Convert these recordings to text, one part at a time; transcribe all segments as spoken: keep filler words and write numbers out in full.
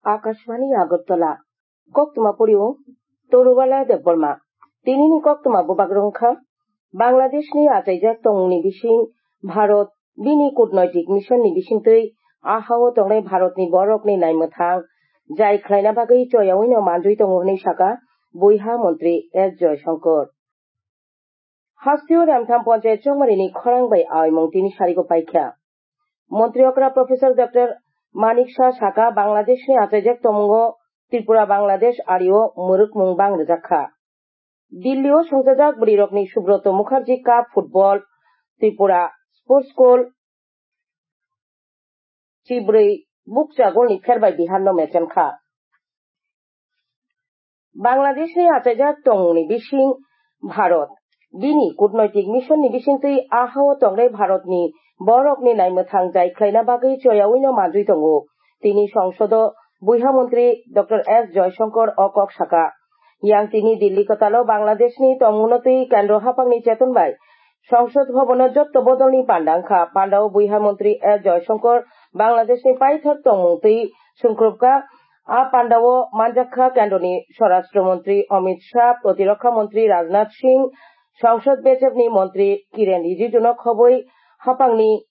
Akashvani Agartala. Koktwma pori o Torubala Debbarma. Tinini koktwma bubak rwngkha. Bangladeshni achaijak tongmungni bising Bharat bini kutnoitik missionni bisingtwi ahao tongnai Bharatni borokni naimwthang jai khlaina bagwi choyaui no manjui tongo hwnwi sakha buiha montri S Joyashankar. Hasteo Remtham Panchayat Chongmarini khorang bai aoimung tini sarigo paikha. Montri okra Professor Doctor Manik Shah sakha, Bangladeshni achaijak tongmungo Tripura Bangladesh ario mwrwkmung bang rwjak kha. Dillio songchajak bwrwirokni Subroto Mukherjee Cup Football Tripura Sports School chibrwi bukcha golni pherbai Biharno mechen kha. Bangladeshni achaijak tongmungni bising Bharat bini kutnoitik missionni bisingtwi ahao tongnai Bharatni borokni naimwthang jai khlaina bagwi choyaui no manjui tongo. Tini songsodo buiha montri Doctor S Joyashankar o kok sakha. Yang tini Dilli kwtalo Bangladeshni tongmungno twi kendro haphangni cheton bai Songsod Bhabono jotto bodolni panda wngkha. Pandao buiha montri S Joyashankar Bangladeshni paithak tongmung twi sungkrupkha. A pandao manjakha kendroni Swarashtra Montri Amit Shah, Protirokha Montri Rajnath Singh, Songsod bechepni Montri Kiren Rijijuno khobwi haphangni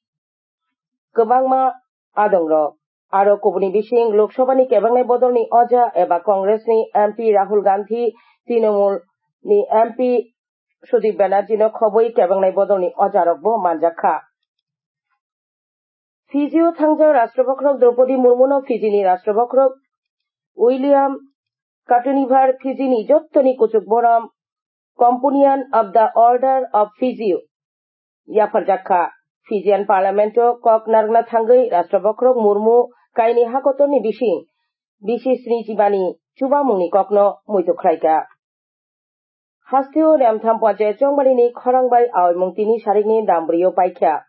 kwbangma adongrok. Aro kubuni bising Lok Sabhani kebengnai bodolni oja eba Congressni M P Rahul Gandhi, Trinamoolni M P Sudip Banerjeeno khobwi kebengnai bodolni ojarokbo manjakha. Fiji-o thangjak Rashtrabhakrok Draupadi Murmuno Fijini Rashtrabhakrok William Katunivar Fijini jottoni kuchuk borom Companion of the Order of Fiji yapharjak kha. Fijian Parliament-o kok narwkna thangwi Rashtrabhakrok Murmu kainwi hakotorni bising bisi sni jibani chubamungni kokno muitu khlaikha. Hasteo Remtham Panchayat Chongmarini khorang bai aoimung tini sarikni dambrwi-o paikha.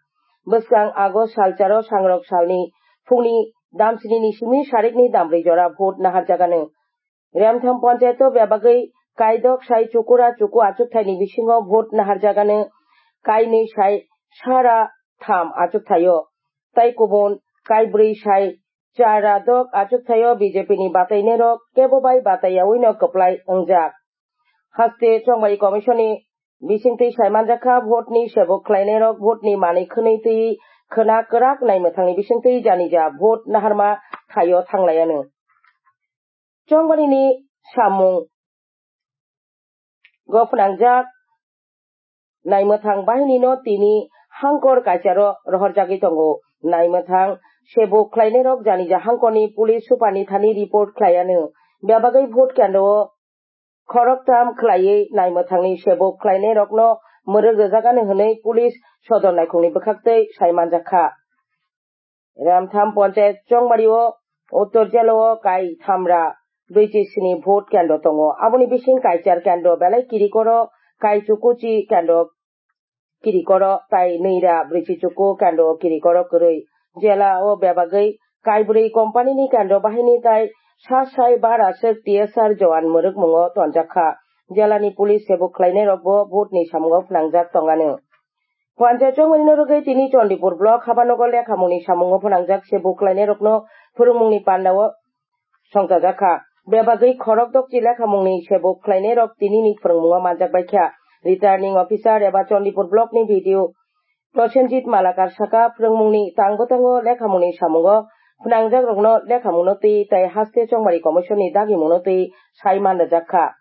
Bwskang August salcharo sangrok salni phungni damsnini simi sarikni dambrwi jora vote naharjagano. Remtham Panchayat-o bebagwi kaidok sai chukura chuku achukthaini bisingo vote naharjagano, kainwi sai sara tham achukthaio, tai kubun kaibrwi sai chara dok achukthaio B J P ni batainerok kebo bai bataiyaui no kwplai wngjak. Haste Chongmari Commission ni bisingtwi saimanjakha, vote ni sebuk khlainairok vote ni manwi khwnwi twi khwna kwrak naimwthangni bisingtwi janija vote naharma thaio thanglaianw. Chongmari ni samung go phnangjak naimwthang bahinino tini hangkor kaicharo rohorjagwi tongo. Naimwthang sebuk khlainairok janija hangkorni police superni thani report khlaianw. Bebagwi vote kendro o khoroktham khlaiwi naimwthangni sebuk khlainairokno mwrwk rwjagani hwnwi police sodor naikhungni bwkhaktwi saimanjakha. Ramtham Panchayat Chongmari o Uttor Jela o kai thamra brwichi sini vote kendro tongo. Aboni bising kaichar kendro belai kirikoro, kai chukuchi kendro kirikoro tai nwira brwichi chuku kendro kirikoro kwrwi. Jela o bebagwi kai bwrwi company ni kendro bahini tai sa sai bara sek T S R jowan mwrwkmungo tonjakha. Jela ni police sebuk khlainairokbo vote ni samungo phnangjak tongano. Panchayat Chongmari no rwgwi tini Chandipur block Habanogo lekhamungni samungo phnangjak sebuk khlainairokno phwrwngmungni pandao songchajakha. Bebagwi khorok dokchi lekhamungni sebuk khlainairok tinini phwrwngmungo manjakbaikha. Returning officer eba Chandipur block ni B D O Prosenjit Malakar sakha, phwrwngmungni tang bwtango lekhamungni samungo phnangjakrokno lekhamungno twi tai haste Chongmari Commission ni dagimungno twi sai manrwjakha.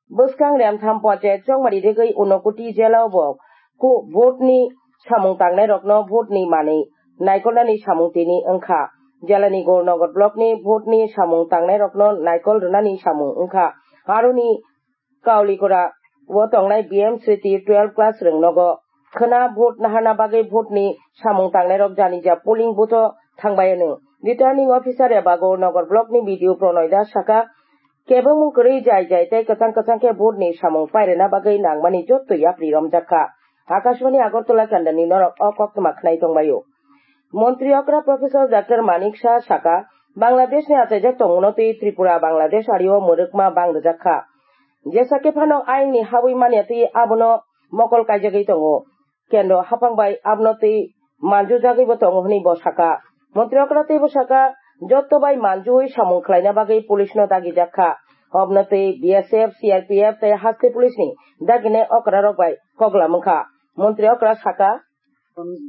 Bwskang Remtham Panchayat Chongmari rwgwi Unakoti Jela o bo ku-, vote ni samung tangnairokno vote ni manwi naikolnani samung tini wngkha. Jela ni Gornagar block ni vote ni samung tangnairokno naikol rwnani samung wngkha. Aroni Kaulikora o tongnai B M Sriti twelve class rwng nogo khwna vote naharna bagwi vote ni samung tangnairok janija polling booth o thangbai anw. Returning officer eba Gornagar block ni B D O Pronoy Das sakha, kebengmung kwrwi jai jai tei kwchang kwchang khe vote ni samung pairwna bagwi nangmani jotto yapri romjak kha. Akashvani Agartala kendani norok o koktwma khwnai tongbaio. Montri okra Professor Doctor Manik Shah sakha, Bangladesh ni achaijak tongmungno twi Tripura Bangladesh ario mwrwkma bang rwjak kha. Jesa khe phano ain ni habwi manya twi abono mokol kaijagwi tongo. Kendro haphang bai abono twi manjujagwibo tongo hwnwi bo sakha. Montri okra teibo sakha, jotto bai manjui samung khlaina bagwi police no dagijak kha. Obwnotwi B S F, C R P F tei haste police ni daginai okrarok bai koklam wngkha. Montri okra saka,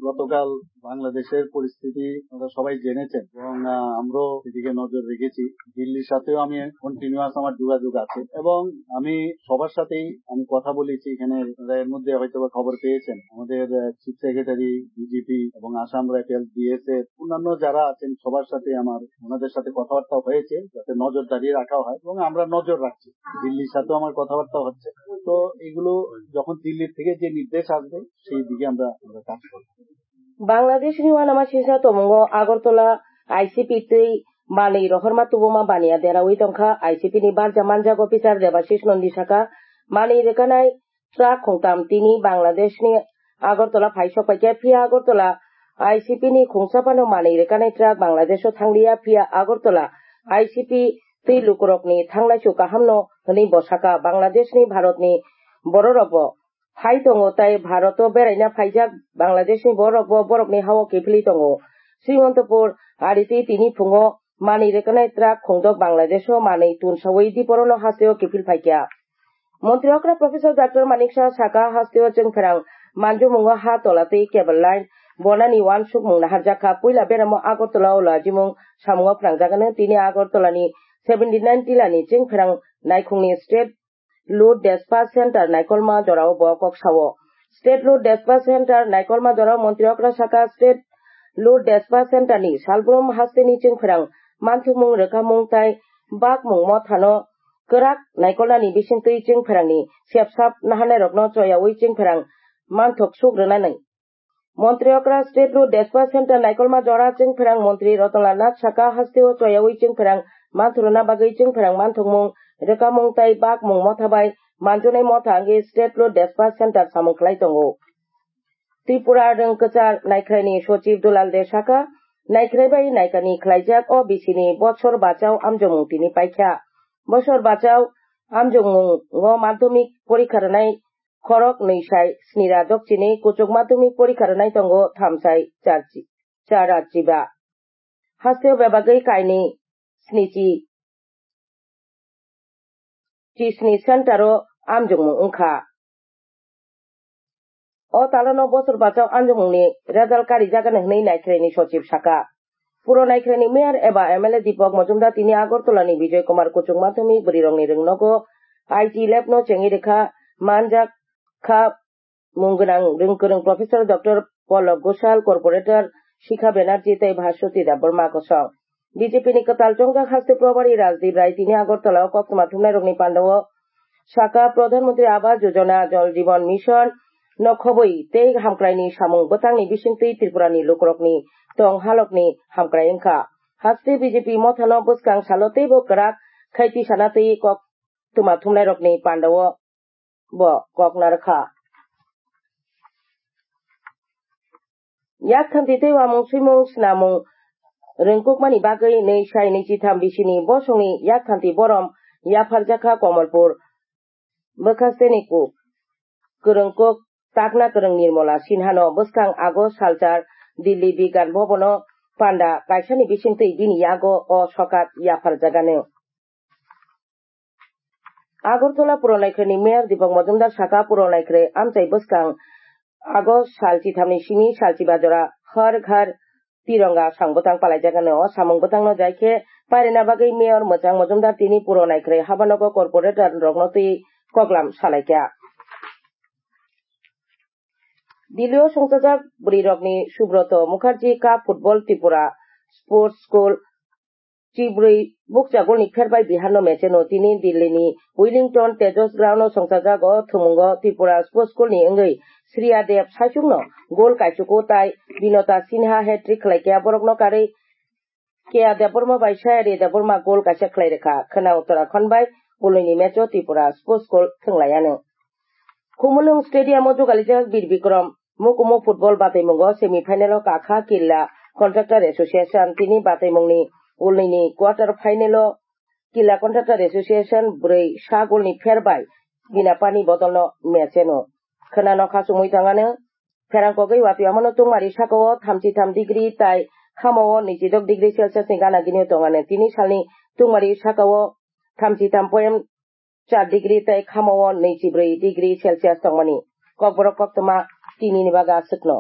গতকাল বাংলাদেশের পরিস্থিতি আপনারা সবাই জেনেছেন এবং, আহ, আমরাও এদিকে নজর রেখেছি। দিল্লির সাথেও আমি কন্টিনিউয়াস আমার যোগাযোগ আছে এবং আমি সবার সাথেই আমি কথা বলেছি। এখানে আপনারা এর মধ্যে হয়তো বা খবর পেয়েছেন, আমাদের, আহ, চিফ সেক্রেটারি, ডিজিপি এবং আসাম রাইফেলস, বিএসএফ, অন্যান্য যারা আছেন সবার সাথে আমার, ওনাদের সাথে কথাবার্তা হয়েছে যাতে নজরদারি রাখা হয় এবং আমরা নজর রাখছি। দিল্লির সাথেও আমার কথাবার্তা হচ্ছে। তো এগুলো যখন দিল্লির থেকে যে নির্দেশ আসবে সেই দিকে আমরা, আমরা কাজ করব। Bangladesh ni uanama singsa tomungo Agartala I C P twi manwi rohorma tubuma baniya derawi tongkha I C P ni barja manjak officer Debashish Nandi saka manwi rwkanai truck khungtam tini Bangladesh ni Agartala phai sok paikha, phiya Agartala I C P ni khungsa phano manwi rwkanai truck Bangladesh o thangliya, phiya Agartala I C P twi lukurokni thanglaisu kahamno hwnwi bo saka. Bangladesh ni Bharat ni bororok bo phai tongo, tai Bharat o beraina phaijak Bangladesh ni borok bo borokni hao kiphilwi tongo. Srimontopur ari twi tini phungo manwi rwkanai truck khungdok Bangladesh o manwi tunsawi diporono hasteo kiphil phaikha. Montri okra Professor Doctor Manik Saha saka hasteo chwngpherang manjumungo ha tola twi cable line bonani uansukmung naharjakha. Puila beramo Agartala o lajimung samungo phrangjakgano tini Agartala ni seventy nine tilani chwngpherang naikhungni State Load Dispatch Center naikolma jorao bo kok sao. State Load Dispatch Center naikolma jorao Montri okra saka State Load Dispatch Center ni salbrum hasteni chwngpherang manthokmung rwkamung tai bakmung mothano kwrak naikolnani bisingtwi chwngpherangni sepsap nahanairokno choyaui chwngpherang manthok suk rwnani. Montri okra State Load Dispatch Center naikolma jora chwngpherang montri Ratanlal Nath saka hasteo choyaui chwngpherang manthoruna bagwi chwngpherang manthokmung rwkamung tai bakmung motha bai manjunai motha wngwi State Load Dispatch Center samung khlai tongo. Tripura Rwng Kwchar Naikhraini Sochib Dulal De saka, naikrai bai naikani khlaijak o bisini bosor bachao amjokmung tini paikha. Bosor bachao amjokmungo madhyamik porikha rwnai khorok nwi sai snira dokchini, kuchuk madhyamik porikha rwnai tongo tham sai char chi-, char chiba. Hasteo bebagwi kainwi snichi chisni center o amjokmung wngkha. O talano bosor bachao amjokmungni result karijagani hwnwi Naikhraini Sochib saka. Puro Naikhraini Mayor eba M L A Deepak Majumdar tini Agartala ni Bijoy Kumar Kuchuk Madhyamik bwrwirokni rwngnogo I T lab no chengwi rwkha, manjak kha mung gwnang rwngkwrwng Professor Doctor Pallab Ghoshal, Corporator Shikha Banerjee tei Bhaswati Debbarma kosong. B J P ni kwtal chongjak haste Probari Rajdeep Rai tini Agartala o koktwma thumnairokni pandao saka, Pradhan Mantri Awas Yojana, Jal Jeevan Mission no khobwi tei hamkraini samung bwtangni bisingtwi Tripura ni lukurokni tong halokni hamkrai wngkha. Haste B J P mothano bwskang salo teibo kwrak khai tisana twi koktwma thumnairokni pandao bo kok narwkha. Yak khanti tei uamung swimung snamung rwngkukmani bagwi nwi sai nwi chitham bisini bosongni yak khanti borom yapharjakha Komolpur bwkhasteni ku-, kwrwngkuk takna kwrwng Nirmala Sinhano bwskang August salchar Delhi Bigyan Bhavan o panda kaisani bisingtwi bini yago o sokat yapharjagano. Agartala Puro Naikhraini Mayor Deepak Majumdar saka, Puro Naikhrai amchai bwskang August sal chithamni simi sal chiba jora Har Ghar Tironga sang bwtang palaijagano. O samung bwtangno jai khe pairina bagwi Mayor Mwchang Majumdar tini Puro Naikhrai habanogo corporator rokno twi koklam salaikha. Delhi o songchajak bwrwirokni Subroto Mukherjee Cup Football Tripura Sports School Chibrwi bukcha golni pherbai Biharno mecheno tini Delhini Wellington Tejas Ground o songchajak. O thumungo Tripura Sports School ni wngwi Shriya Deb saichungno gol kaichuku tai Binota Sinha hat-trick khlaikha. Borokno karwi K A Debbarma bai Sayari Debbarma gol kaisa khlai rwkha. Khwna Uttarakhand bai Pulwini mecho Tripura Sports School thwnglaianw. Khumulwng Stadium o jugalijak Bir Bikram Mukumu football bataimungo semi final o kakha Killa Contractor Association tini bataimungni ulnini quarter final o Killa Contractor Association bwrwi sa golni pher bai Binapani bodolno mecheno. Khwnano khachumwi tongano pherang kogwi watwi amano tungmari sakao thamchi tham degree tai khamao nwichidok degree Celsius ni gana gini tongnai. Tini salni tungmari sakao thamchi tam point char degree tei khamao nwichibrwi degree Celsius tongmani. Kokborok koktwma tinini baga aswkno.